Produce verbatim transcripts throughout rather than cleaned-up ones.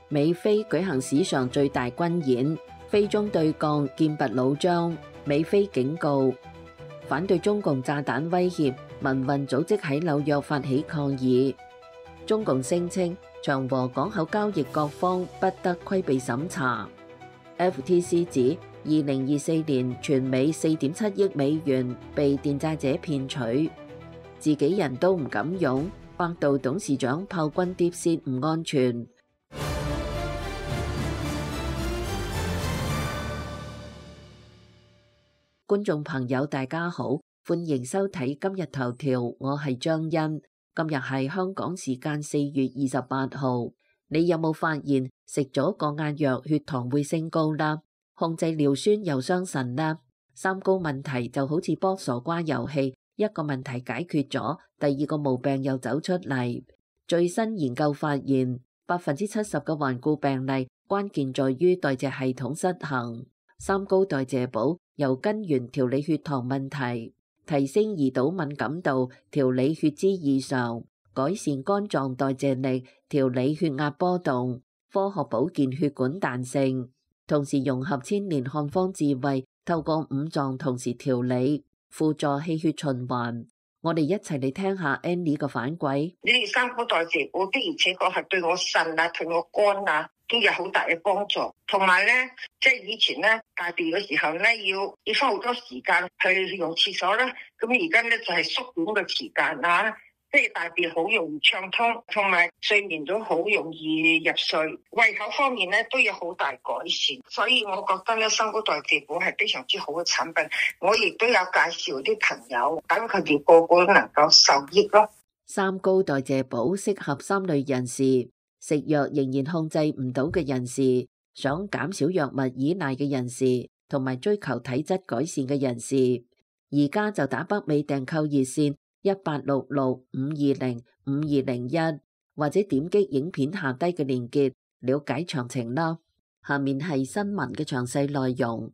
美菲舉行史上最大軍演，菲中對抗劍拔弩張。美菲警告，反對中共炸彈威脅，民運組織喺紐約發起抗議。中共聲稱長和港口交易各方不得規避審查。F T C 指二零二四年全美四點七億美元被電債者騙取，自己人都唔敢用。百度董事長炮轟 DeepSeek 唔安全。觀眾朋友大家好，歡迎收睇今日頭條，我係張欣。今日係香港時間四月二十八號，你有冇發現食咗降壓藥血糖會升高啦？控制尿酸又傷腎啦？三高問題就好似卜傻瓜遊戲，一個問題解決咗，第二個毛病又走出嚟。最新研究發現，百分之七十嘅患故病例關鍵在於代謝系統失衡。三高代謝寶由根源調理血糖問題，提升胰島敏感度，調理血脂異常，改善肝臟代謝力，調理血壓波動，科學保健血管彈性，同時融合千年漢方智慧，透過五臟同時調理，輔助氣血循環。我哋一齊嚟聽下 Annie 嘅反饋。你哋三高代謝寶的而且確係對我腎啊，對我肝啊都有好大嘅幫助。同埋咧，即係以前咧大便嘅時候咧，要要花好多時間去用廁所啦。咁而家咧就係縮短嘅時間啊，即係大便好容易暢通，同埋睡眠都好容易入睡。胃口方面咧都有好大改善，所以我覺得咧三高代謝寶係非常之好嘅產品。我亦都有介紹啲朋友，等佢哋個個都能夠受益咯。三高代謝寶適合三類人士：食藥仍然控制唔到嘅人士，想減少藥物依賴嘅人士，同埋追求體質改善嘅人士。而家就打北美訂購熱線一八六六五二零五二零一，或者點擊影片下低嘅鏈接了解詳情啦。下面係新聞嘅詳細內容。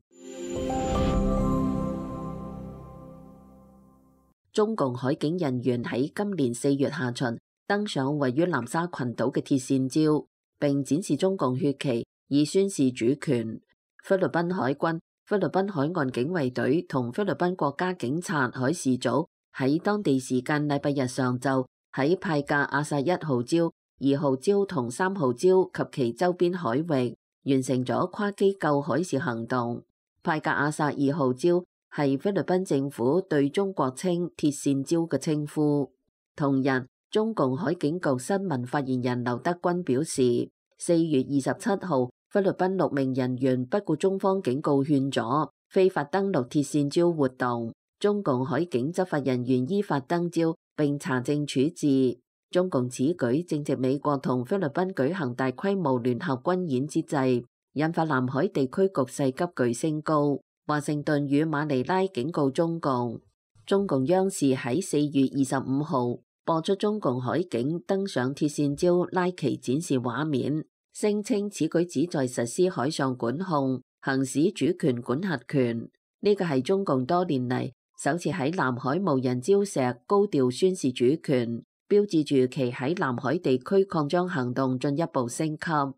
中共海警人員喺今年四月下旬登上位於南沙群島嘅鐵線礁，並展示中共血旗，以宣示主權。菲律賓海軍、菲律賓海岸警衛隊同菲律賓國家警察海事組喺當地時間禮拜日上晝喺派格阿薩一號礁、二號礁同三號礁及其周邊海域完成咗跨機構海事行動。派格阿薩二號礁係菲律賓政府對中國稱鐵線礁嘅稱呼。同日，中共海警局新聞發言人劉德軍表示，四月二十七號，菲律賓六名人員不顧中方警告勸阻，非法登陸鐵線礁活動。中共海警執法人員依法登礁並查證處置。中共此舉正值美國同菲律賓舉行大規模聯合軍演之際，引發南海地區局勢急劇升高。華盛頓與馬尼拉警告中共。中共央視喺四月二十五號播出中共海警登上鐵線礁拉旗展示畫面，聲稱此舉旨在實施海上管控，行使主權管轄權。呢個係中共多年嚟首次喺南海無人礁石高調宣示主權，標誌住其喺南海地區擴張行動進一步升級。鐵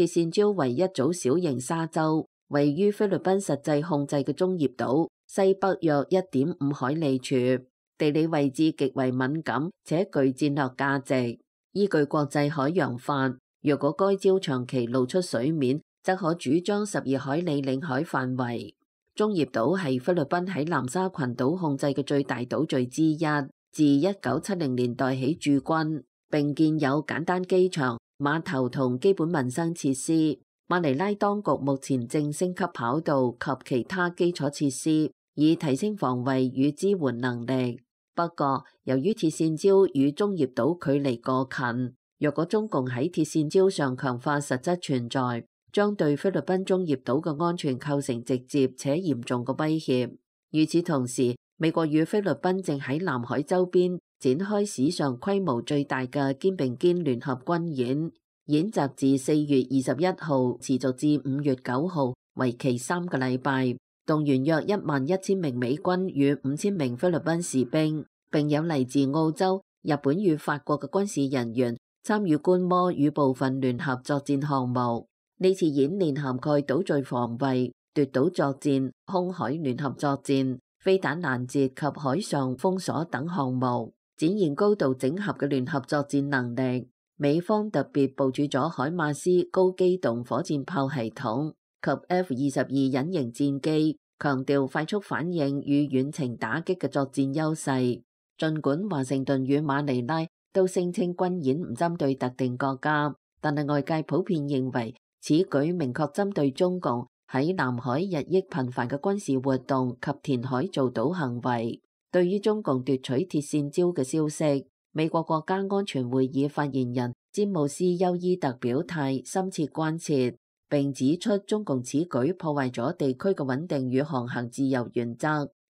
線礁為一組小型沙洲，位於菲律賓實際控制嘅中業島西北約一點五海里處，地理位置極為敏感且具戰略價值。依據國際海洋法，若果該礁長期露出水面，則可主張十二海里領海範圍。中業島係菲律賓喺南沙群島控制嘅最大島嶼之一，自一九七零年代起駐軍，並建有簡單機場、碼頭同基本民生設施。馬尼拉當局目前正升級跑道及其他基礎設施，以提升防衛與支援能力。不過，由於鐵線礁與中業島距離過近，若果中共喺鐵線礁上強化實質存在，將對菲律賓中業島嘅安全構成直接且嚴重嘅威脅。與此同時，美國與菲律賓正喺南海周邊展開史上規模最大嘅肩並肩聯合軍演。演習自四月二十一號持續至五月九號，為期三個禮拜，動員約一萬一千名美軍與五千名菲律賓士兵，並有嚟自澳洲、日本與法國嘅軍事人員參與觀摩與部分聯合作戰項目。呢次演練涵蓋島嶼防衛、奪島作戰、空海聯合作戰、飛彈攔截及海上封鎖等項目，展現高度整合嘅聯合作戰能力。美方特別部署咗海馬斯高機動火箭炮系統及 F 二十二隱形戰機，強調快速反應與遠程打擊嘅作戰優勢。儘管華盛頓與馬尼拉都聲稱軍演唔針對特定國家，但係外界普遍認為此舉明確針對中共喺南海日益頻繁嘅軍事活動及填海造島行為。對於中共奪取鐵線礁嘅消息，美國國家安全會議發言人詹姆斯休伊特表態深切關切，並指出中共此舉破壞咗地區嘅穩定與航行自由原則。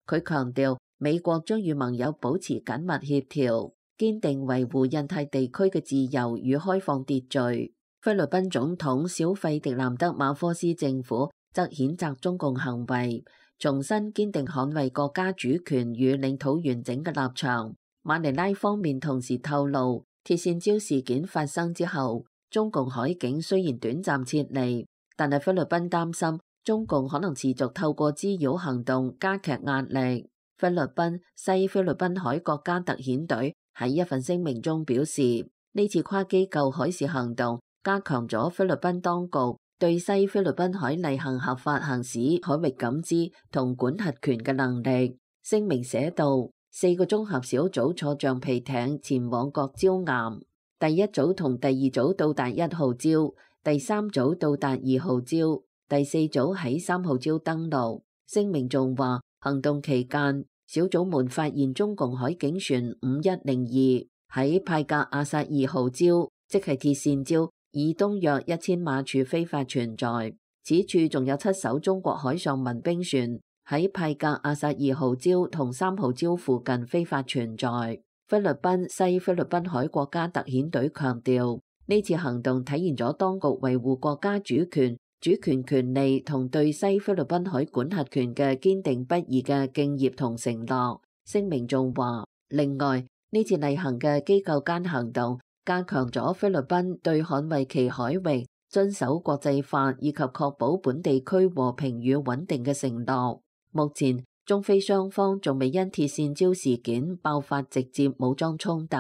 佢強調美國將與盟友保持緊密協調，堅定維護印太地區嘅自由與開放秩序。菲律賓總統小費迪南德馬科斯政府則譴責中共行為，重申堅定捍衛國家主權與領土完整嘅立場。馬尼拉方面同時透露，鐵線礁事件發生之後，中共海警雖然短暫撤離，但係菲律賓擔心中共可能持續透過滋擾行動加劇壓力。菲律賓西菲律賓海國家特遣隊喺一份聲明中表示，呢次跨機構海事行動加強咗菲律賓當局對西菲律賓海例行合法行使海域感知同管轄權嘅能力。聲明寫道，四個綜合小組坐橡皮艇前往各礁岩，第一組同第二組到達一號礁，第三組到達二號礁，第四組喺三號礁登陸。聲明仲話，行動期間，小組們發現中共海警船五一零二喺派格亞薩二號礁，即係鐵線礁以東約一千碼處非法存在。此處仲有七艘中國海上民兵船喺派格亞薩二號礁同三號礁附近非法存在。菲律賓西菲律賓海國家特遣隊強調，呢次行動體現咗當局維護國家主權、主權權利同對西菲律賓海管轄權嘅堅定不移嘅敬業同承諾。聲明仲話，另外呢次例行嘅機構間行動加強咗菲律賓對捍衛其海域、遵守國際法以及確保本地區和平與穩定嘅承諾。目前中菲雙方仲未因鐵線礁事件爆發直接武裝衝突，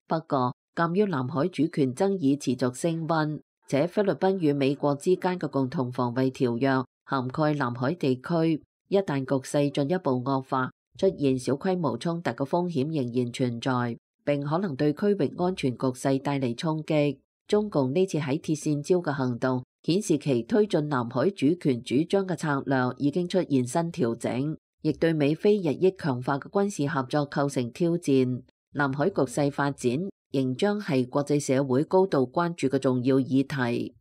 不過鑑於南海主權爭議持續升溫，且菲律賓與美國之間嘅共同防衛條約涵蓋南海地區，一旦局勢進一步惡化，出現小規模衝突嘅風險仍然存在，並可能對區域安全局勢帶嚟衝擊。中共呢次喺鐵線礁嘅行動顯示其推進南海主權主張嘅策略已經出現新調整，亦對美菲日益強化嘅軍事合作構成挑戰。南海局勢發展仍將係國際社會高度關注嘅重要議題。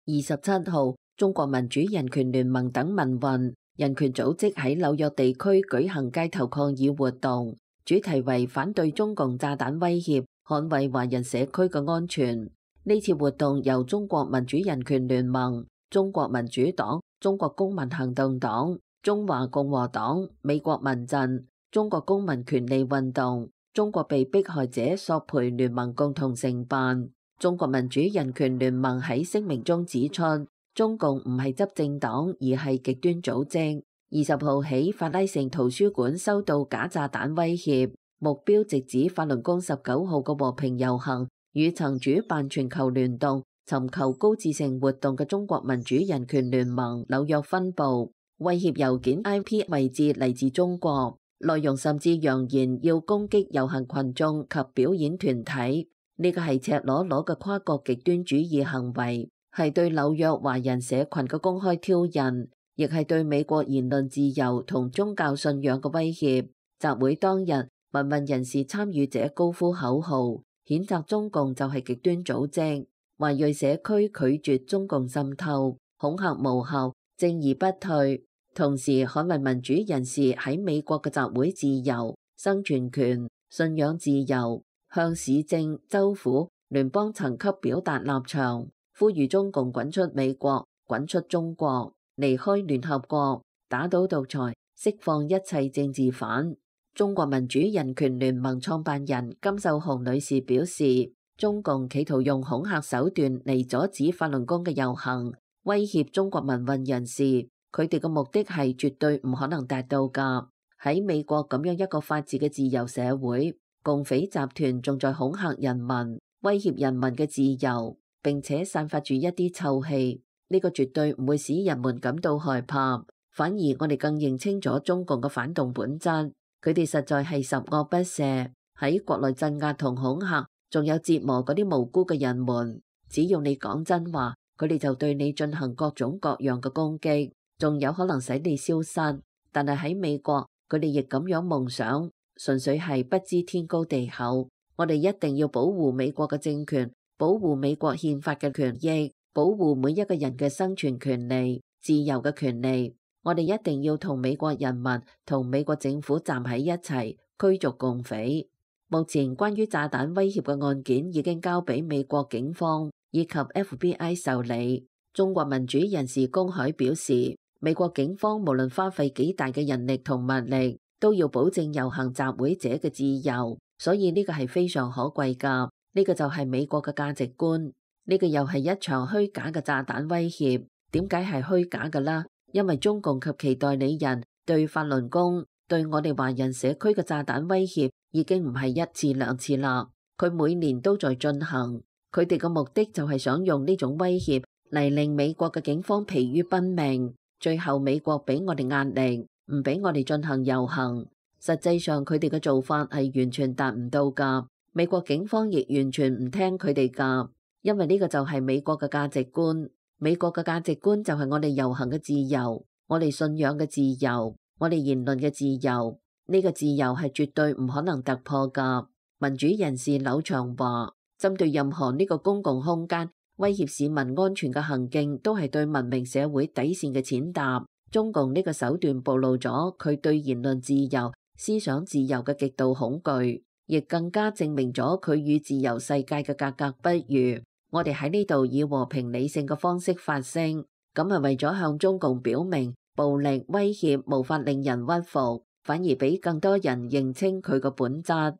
二十七號，中國民主人權聯盟等民運人權組織喺紐約地區舉行街頭抗議活動，主題為反對中共炸彈威脅，捍衛華人社區嘅安全。呢次活動由中國民主人權聯盟、中國民主黨、中國公民行動黨、中華共和黨、美國民陣、中國公民權利運動、中國被迫害者索賠聯盟共同承辦。中國民主人權聯盟喺聲明中指出，中共唔係執政黨，而係極端組織。二十號起，法拉盛圖書館收到假炸彈威脅，目標直指法輪功十九號嘅和平遊行與曾主辦全球聯動尋求高質性活動嘅中國民主人權聯盟紐約分部。威脅郵件 I P 位置嚟自中國，內容甚至揚言要攻擊遊行群眾及表演團體。呢個係赤裸裸嘅跨國極端主義行為，係對紐約華人社群嘅公開挑釁，亦係對美國言論自由同宗教信仰嘅威脅。集會當日，民運人士參與者高呼口號，譴責中共就係極端組織。華裔社區拒絕中共滲透，恐嚇無效，正義不退。同時捍衛民主人士喺美國嘅集會自由、生存權、信仰自由，向市政、州府、聯邦層級表達立場，呼籲中共滾出美國、滾出中國，離開聯合國，打倒獨裁，釋放一切政治犯。中國民主人權聯盟創辦人金秀紅女士表示，中共企圖用恐嚇手段嚟阻止法輪功嘅遊行，威脅中國民運人士，佢哋嘅目的係絕對唔可能達到㗎。喺美國咁樣一個法治嘅自由社會，共匪集團仲在恐嚇人民，威脅人民嘅自由，並且散發住一啲臭氣。呢個絕對唔會使人們感到害怕，反而我哋更認清咗中共嘅反動本質。佢哋實在係十惡不赦，喺國內鎮壓同恐嚇，仲有折磨嗰啲無辜嘅人們。只要你講真話，佢哋就對你進行各種各樣嘅攻擊，仲有可能使你消失。但係喺美國，佢哋亦咁樣夢想，純粹係不知天高地厚。我哋一定要保護美國嘅政權，保護美國憲法嘅權益，保護每一個人嘅生存權利、自由嘅權利。我哋一定要同美國人民、同美國政府站喺一齊，驅逐共匪。目前關於炸彈威脅嘅案件已經交俾美國警方以及 F B I 受理。中國民主人士公海表示，美國警方無論花費幾大嘅人力同物力，都要保證遊行集會者嘅自由。所以呢個係非常可貴㗎。呢個就係美國嘅價值觀。呢個又係一場虛假嘅炸彈威脅。點解係虛假㗎啦？因為中共及其代理人對法輪功、對我哋華人社區嘅炸彈威脅已經唔係一次兩次啦，佢每年都在進行。佢哋嘅目的就係想用呢種威脅嚟令美國嘅警方疲於奔命，最後美國俾我哋壓力，唔俾我哋進行遊行。實際上佢哋嘅做法係完全達唔到㗎，美國警方亦完全唔聽佢哋㗎，因為呢個就係美國嘅價值觀。美國嘅價值觀就係我哋遊行嘅自由，我哋信仰嘅自由，我哋言論嘅自由。呢個自由係絕對唔可能突破㗎。民主人士柳祥話，針對任何呢個公共空間威脅市民安全嘅行徑，都係對文明社會底線嘅踐踏。中共呢個手段暴露咗佢對言論自由、思想自由嘅極度恐懼，亦更加證明咗佢與自由世界嘅格格不入。我哋喺呢度以和平理性嘅方式發聲，咁係為咗向中共表明，暴力威脅無法令人屈服，反而俾更多人認清佢個本質。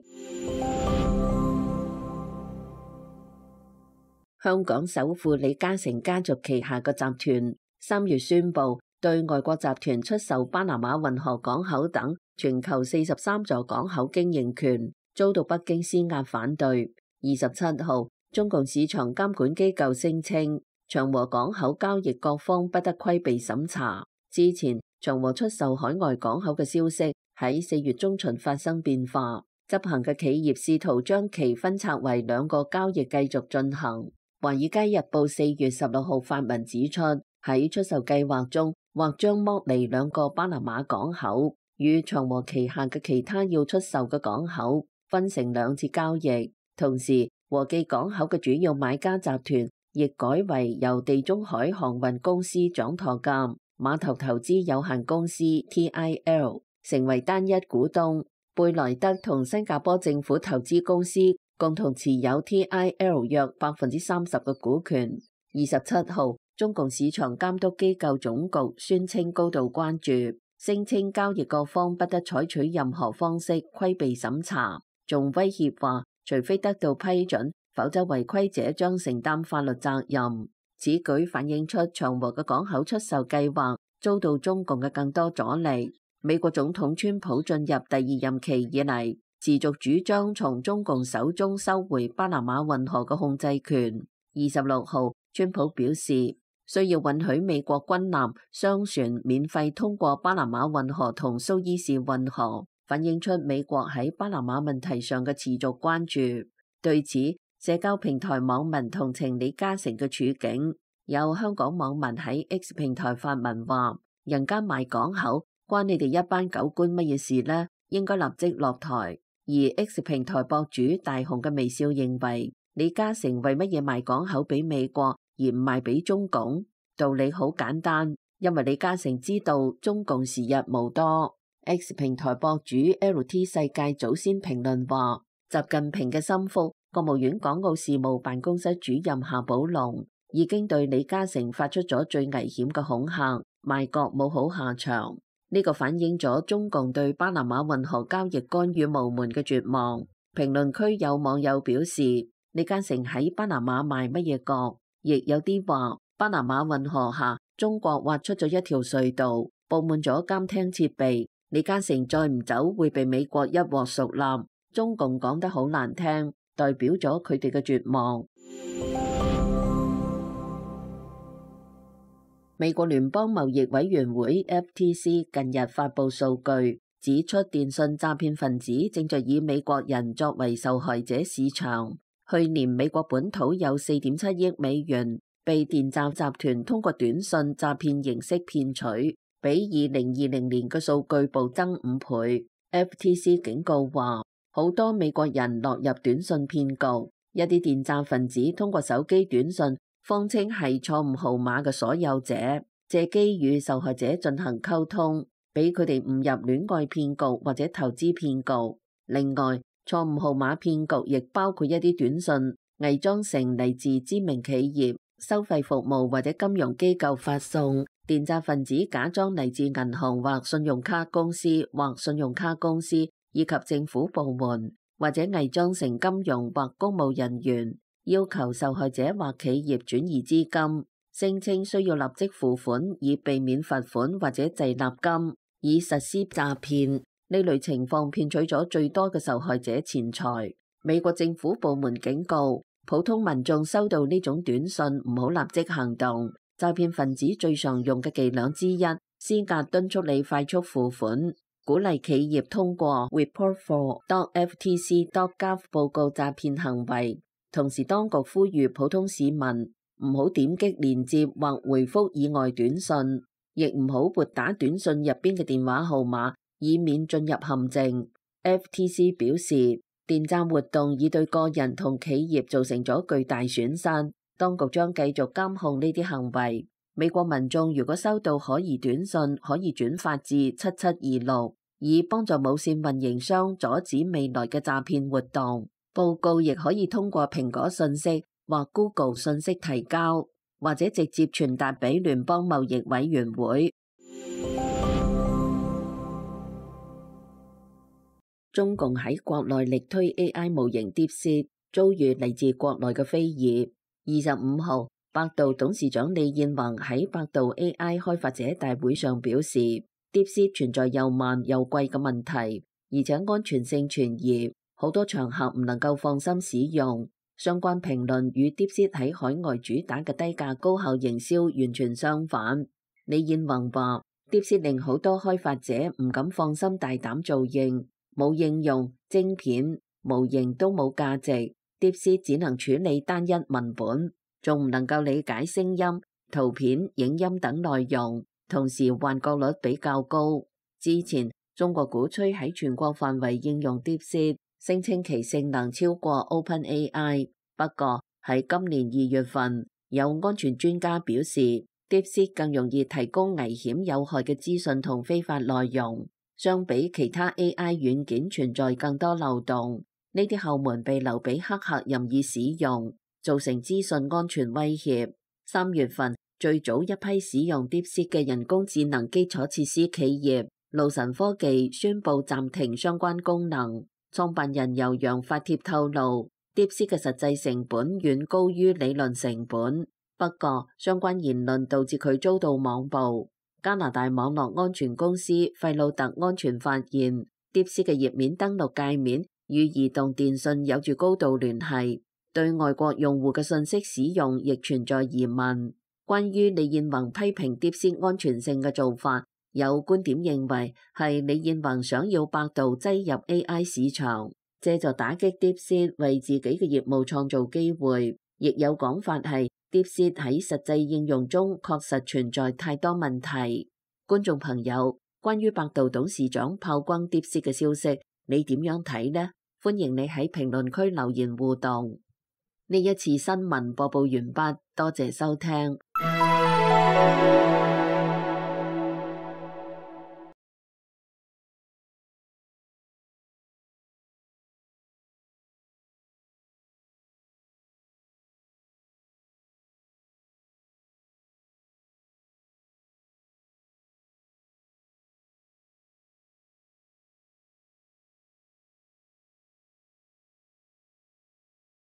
香港首富李嘉誠家族旗下嘅集團三月宣布對外國集團出售巴拿馬運河港口等全球四十三座港口經營權，遭到北京施壓反對。二十七號，中共市場監管機構聲稱，長和港口交易各方不得規避審查。之前，長和出售海外港口嘅消息喺四月中旬發生變化，執行嘅企業試圖將其分拆為兩個交易繼續進行。華爾街日報四月十六號發文指出，喺出售計劃中，或將剝離兩個巴拿馬港口，與長和旗下嘅其他要出售嘅港口分成兩次交易。同時，和記港口嘅主要買家集團亦改為由地中海航運公司掌舵嘅碼頭投資有限公司 T I L 成為單一股東，貝萊德同新加坡政府投資公司共同持有 T I L 約百分之三十嘅股權。二十七號，中共市場監督機構總局宣稱高度關注，聲稱交易各方不得採取任何方式規避審查，仲威脅話，除非得到批准，否則違規者將承擔法律責任。此舉反映出長和嘅港口出售計劃遭到中共嘅更多阻力。美國總統川普進入第二任期以嚟，持續主張從中共手中收回巴拿馬運河嘅控制權。二十六號，川普表示需要允許美國軍艦、商船免費通過巴拿馬運河同蘇伊士運河，反映出美國喺巴拿馬問題上嘅持續關注。對此，社交平台網民同情李嘉誠嘅處境，有香港網民喺 X 平台發文話：人家賣港口，關你哋一班狗官乜嘢事呢？應該立即落台。而 X 平台博主大雄嘅微笑認為，李嘉誠為乜嘢賣港口俾美國而唔賣俾中共？道理好簡單，因為李嘉誠知道中共時日無多。X 平台博主 L T 世界早先評論話，習近平嘅心腹國務院港澳事務辦公室主任夏寶龍已經對李嘉誠發出咗最危險嘅恐嚇，賣國冇好下場。呢個反映咗中共對巴拿馬運河交易干預無門嘅絕望。評論區有網友表示，李嘉誠喺巴拿馬賣乜嘢角？亦有啲話，巴拿馬運河下中國挖出咗一條隧道，佈滿咗監聽設備。李嘉誠再唔走會被美國一鑊熟攬。中共講得好難聽，代表咗佢哋嘅絕望。美國聯邦貿易委員會 F T C 近日發布數據，指出電信詐騙分子正在以美國人作為受害者市場。去年美國本土有四點七億美元被電詐集團通過短信詐騙形式騙取，比二零二零年嘅數據暴增五倍。F T C 警告話，好多美國人落入短信騙局，一啲電詐分子通過手機短信，謊稱係錯誤號碼嘅所有者，借機與受害者進行溝通，俾佢哋誤入戀愛騙局或者投資騙局。另外，錯誤號碼騙局亦包括一啲短信偽裝成嚟自知名企業、收費服務或者金融機構發送。電詐分子假裝嚟自銀行或信用卡公司或信用卡公司以及政府部門，或者偽裝成金融或公務人員，要求受害者或企業轉移資金，聲稱需要立即付款以避免罰款或者滯納金，以實施詐騙。呢類情況騙取咗最多嘅受害者錢財。美國政府部門警告，普通民眾收到呢種短信唔好立即行動。詐騙分子最常用嘅伎倆之一，施壓敦促你快速付款，鼓勵企業通過 report for dot f t c dot gov 報告詐騙行為。同時，當局呼籲普通市民唔好點擊連接或回覆以外短信，亦唔好撥打短信入邊嘅電話號碼，以免進入陷阱。F T C 表示，電詐活動已對個人同企業造成咗巨大損失，當局將繼續監控呢啲行為。美國民眾如果收到可疑短信，可以轉發至七七二六，以幫助無線運營商阻止未來嘅詐騙活動。報告亦可以通過蘋果信息或 Google 信息提交，或者直接傳達俾聯邦貿易委員會。中共喺國內力推 A I 模型 DeepSeek，遭遇嚟自國內嘅非議。二十五號，百度董事長李彥宏喺百度 A I 開發者大會上表示 ，DeepSeek 存在又慢又貴嘅問題，而且安全性存疑。好多場合唔能夠放心使用，相關評論與 DeepSeek 喺海外主打嘅低價高效營銷完全相反。李彥宏話 ，DeepSeek 令好多開發者唔敢放心大膽造型，冇應用、晶片、模型都冇價值。DeepSeek 只能處理單一文本，仲唔能夠理解聲音、圖片、影音等內容，同時幻覺率比較高。之前中國鼓吹喺全國範圍應用 DeepSeek，聲稱其性能超過 OpenAI， 不過喺今年二月份，有安全專家表示 DeepSeek 更容易提供危險有害嘅資訊同非法內容，相比其他 A I 軟件存在更多漏洞。呢啲後門被留俾黑客任意使用，造成資訊安全威脅。三月份，最早一批使用 DeepSeek 嘅人工智能基礎設施企業路神科技宣布暫停相關功能。創辦人尤洋發帖透露 ，DeepSeek 嘅實際成本遠高於理論成本。不過，相關言論導致佢遭到網暴。加拿大網絡安全公司費魯特安全發現 ，DeepSeek 嘅頁面登錄界面與移動電信有住高度聯繫，對外國用戶嘅信息使用亦存在疑問。關於李彥宏批評 DeepSeek 安全性嘅做法，有觀點認為係李彥宏想要百度擠入 A I 市場，借助打擊 DeepSeek 為自己嘅業務創造機會。亦有講法係 DeepSeek 喺實際應用中確實存在太多問題。觀眾朋友，關於百度董事長炮轟 DeepSeek 嘅消息，你點樣睇呢？歡迎你喺評論區留言互動。呢一次新聞播報完畢，多謝收聽。